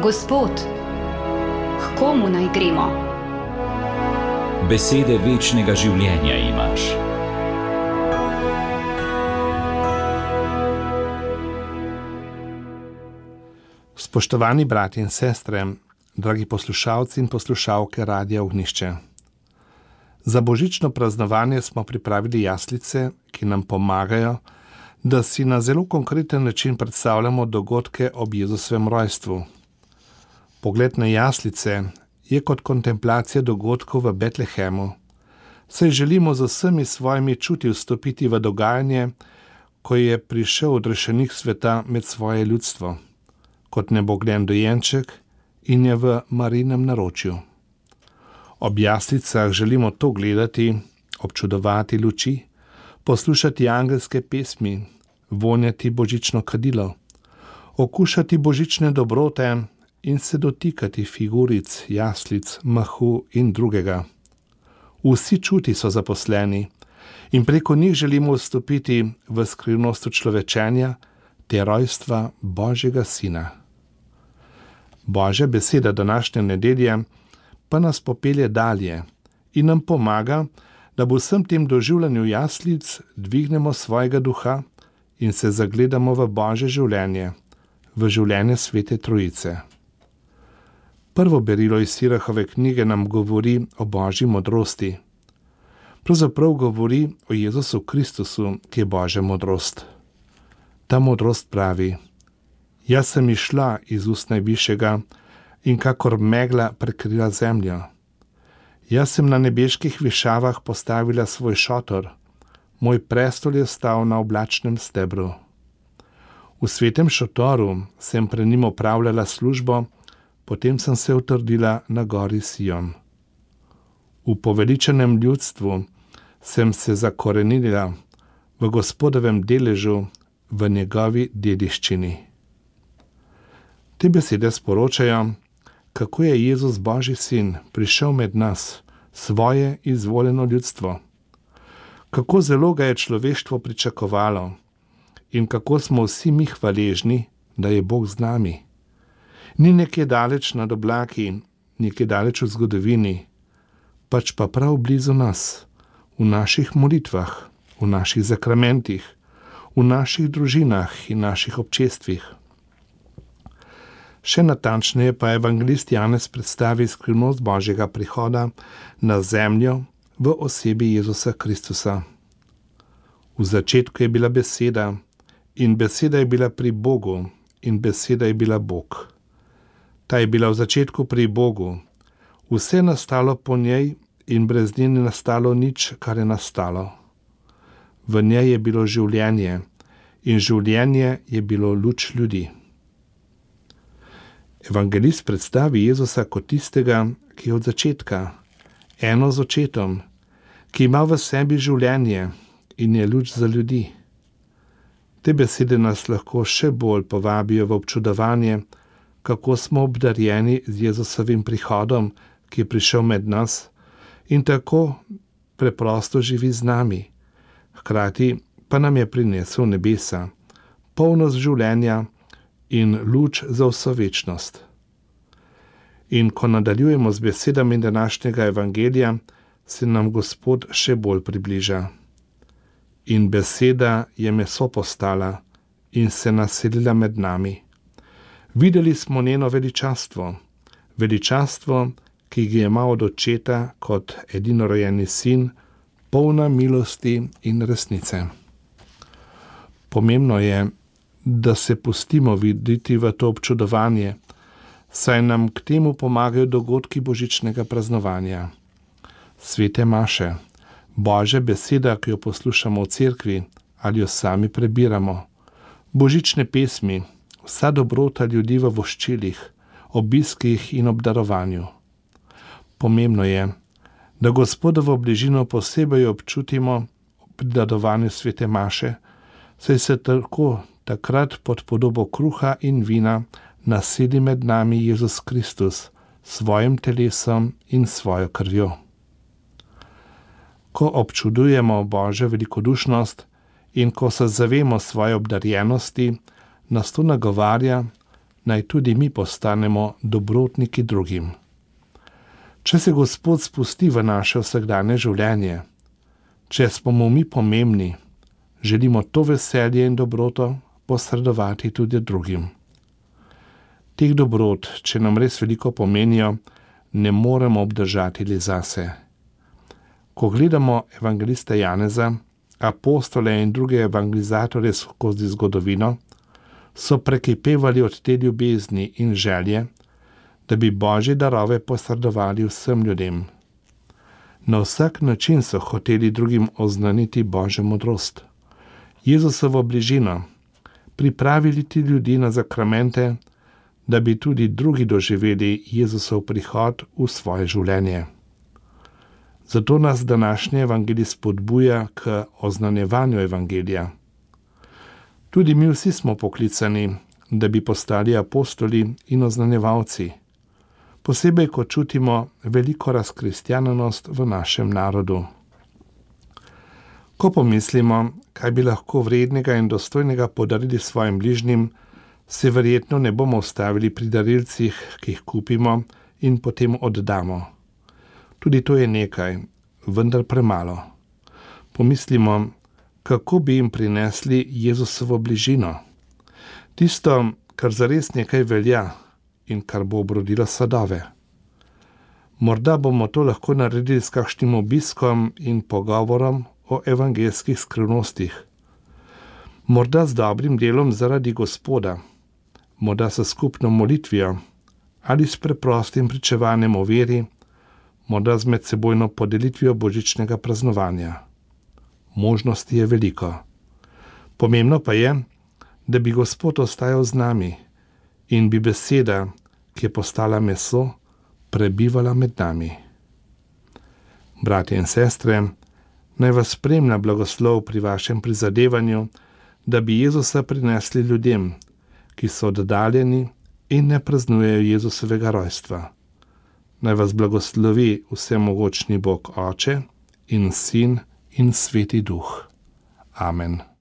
Gospod, k komu naj gremo? Besede večnega življenja imaš. Spoštovani bratje in sestre, dragi poslušalci in poslušalke Radia Ognjišče. Za božično praznovanje smo pripravili jaslice, ki nam pomagajo, da si na zelo konkreten način predstavljamo dogodke ob Jezusovem rojstvu. Pogled na jaslice je kot kontemplacija dogodkov v Betlehemu, saj želimo z vsemi svojimi čuti vstopiti v dogajanje, ko je prišel odrešenik sveta med svoje ljudstvo, kot nebogljen dojenček in je v Marijinem naročju. Ob jaslicah želimo to gledati, občudovati luči, poslušati angelske pesmi, vonjati božično kadilo, okušati božične dobrote in se dotikati figuric, jaslic, mahu in drugega. Vsi čuti so zaposleni in preko njih želimo vstopiti v skrivnost človečenja te rojstva Božjega Sina. Božja beseda današnje nedelje pa nas popelje dalje in nam pomaga, da v vsem tem doživljanju jaslic dvignemo svojega duha in se zagledamo v Božje življenje, v življenje Svete Trojice. Prvo berilo iz Sirahove knjige nam govori o Božji modrosti. Pravzaprav govori o Jezusu Kristusu, ki je Božja modrost. Ta modrost pravi: Jaz sem išla iz ust Najvišjega in kakor megla prekrila zemljo. Jaz sem na nebeških višavah postavila svoj šotor, moj prestol je stal na oblačnem stebru. V svetem šotoru sem pred njim opravljala službo, potem sem se utrdila na gori Sion. V poveličenem ljudstvu sem se zakorenila v Gospodovem deležu, v njegovi dediščini. Te besede sporočajo, kako je Jezus Božji sin prišel med nas, svoje izvoljeno ljudstvo. Kako zelo ga je človeštvo pričakovalo in kako smo vsi mi hvaležni, da je Bog z nami. Ni nekje daleč nad oblaki, nekje daleč v zgodovini, pač pa prav blizu nas, v naših molitvah, v naših zakramentih, v naših družinah in naših občestvih. Še natančneje pa evangelist Janez predstavi skrivnost Božjega prihoda na zemljo v osebi Jezusa Kristusa. V začetku je bila beseda in beseda je bila pri Bogu in beseda je bila Bog. Ta je bila v začetku pri Bogu. Vse je nastalo po njej in brez nje ni nastalo nič, kar je nastalo. V njej je bilo življenje in življenje je bilo luč ljudi. Evangelist predstavi Jezusa kot tistega, ki je od začetka, eno z očetom, ki ima v sebi življenje in je luč za ljudi. Te besede nas lahko še bolj povabijo v občudovanje, kako smo obdarjeni z Jezusovim prihodom, ki je prišel med nas in tako preprosto živi z nami. Hkrati pa nam je prinesel nebesa, polnost življenja in luč za vso večnost. In ko nadaljujemo z besedami današnjega evangelija, se nam Gospod še bolj približa. In beseda je meso postala in se naselila med nami. Videli smo njeno veličastvo, ki ga ima od očeta kot edinorojeni sin, polna milosti in resnice. Pomembno je, da se pustimo videti v to občudovanje, saj nam k temu pomagajo dogodki božičnega praznovanja. Svete maše, Božja beseda, ki jo poslušamo v cerkvi ali jo sami prebiramo, božične pesmi, vsa dobrota ljudi v voščilih, obiskih in obdarovanju. Pomembno je, da Gospodovo bližino posebej občutimo pri dadovanju svete maše, saj se tako takrat pod podobo kruha in vina naseli med nami Jezus Kristus, svojim telesom in svojo krvjo. Ko občudujemo Božjo velikodušnost in ko se zavemo svoje obdarjenosti, nas to nagovarja, naj tudi mi postanemo dobrotniki drugim. Če se Gospod spusti v naše vsakdanje življenje, če smo mu mi pomembni, želimo to veselje in dobroto posredovati tudi drugim. Teh dobrot, če nam res veliko pomenijo, ne moremo obdržati le zase. Ko gledamo evangelista Janeza, apostole in druge evangelizatorje skozi zgodovino, so prekipevali od te ljubezni in želje, da bi Božje darove posredovali vsem ljudem. Na vsak način so hoteli drugim oznaniti Božjo modrost, Jezusovo bližino, pripravili ti ljudi na zakramente, da bi tudi drugi doživeli Jezusov prihod v svoje življenje. Zato nas današnji evangelij spodbuja k oznanjevanju evangelija. Tudi mi vsi smo poklicani, da bi postali apostoli in oznanjevalci, posebej, ko čutimo veliko razkristjanenost v našem narodu. Ko pomislimo, kaj bi lahko vrednega in dostojnega podarili svojim bližnjim, se verjetno ne bomo ustavili pri darilcih, ki jih kupimo in potem oddamo. Tudi to je nekaj, vendar premalo. Pomislimo, kako bi jim prinesli Jezusovo bližino. Tisto, kar zares nekaj velja in kar bo obrodilo sadove. Morda bomo to lahko naredili s kakšnim obiskom in pogovorom o evangelskih skrivnostih. Morda z dobrim delom zaradi Gospoda, morda s skupno molitvijo ali s preprostim pričevanjem o veri, morda z medsebojno podelitvijo božičnega praznovanja. Možnosti je veliko. Pomembno pa je, da bi Gospod ostajal z nami in bi beseda, ki je postala meso, prebivala med nami. Bratje in sestre, naj vas spremlja blagoslov pri vašem prizadevanju, da bi Jezusa prinesli ljudem, ki so oddaljeni in ne praznujejo Jezusovega rojstva. Naj vas blagoslovi vsemogočni Bog Oče in Sin in Sveti Duh. Amen.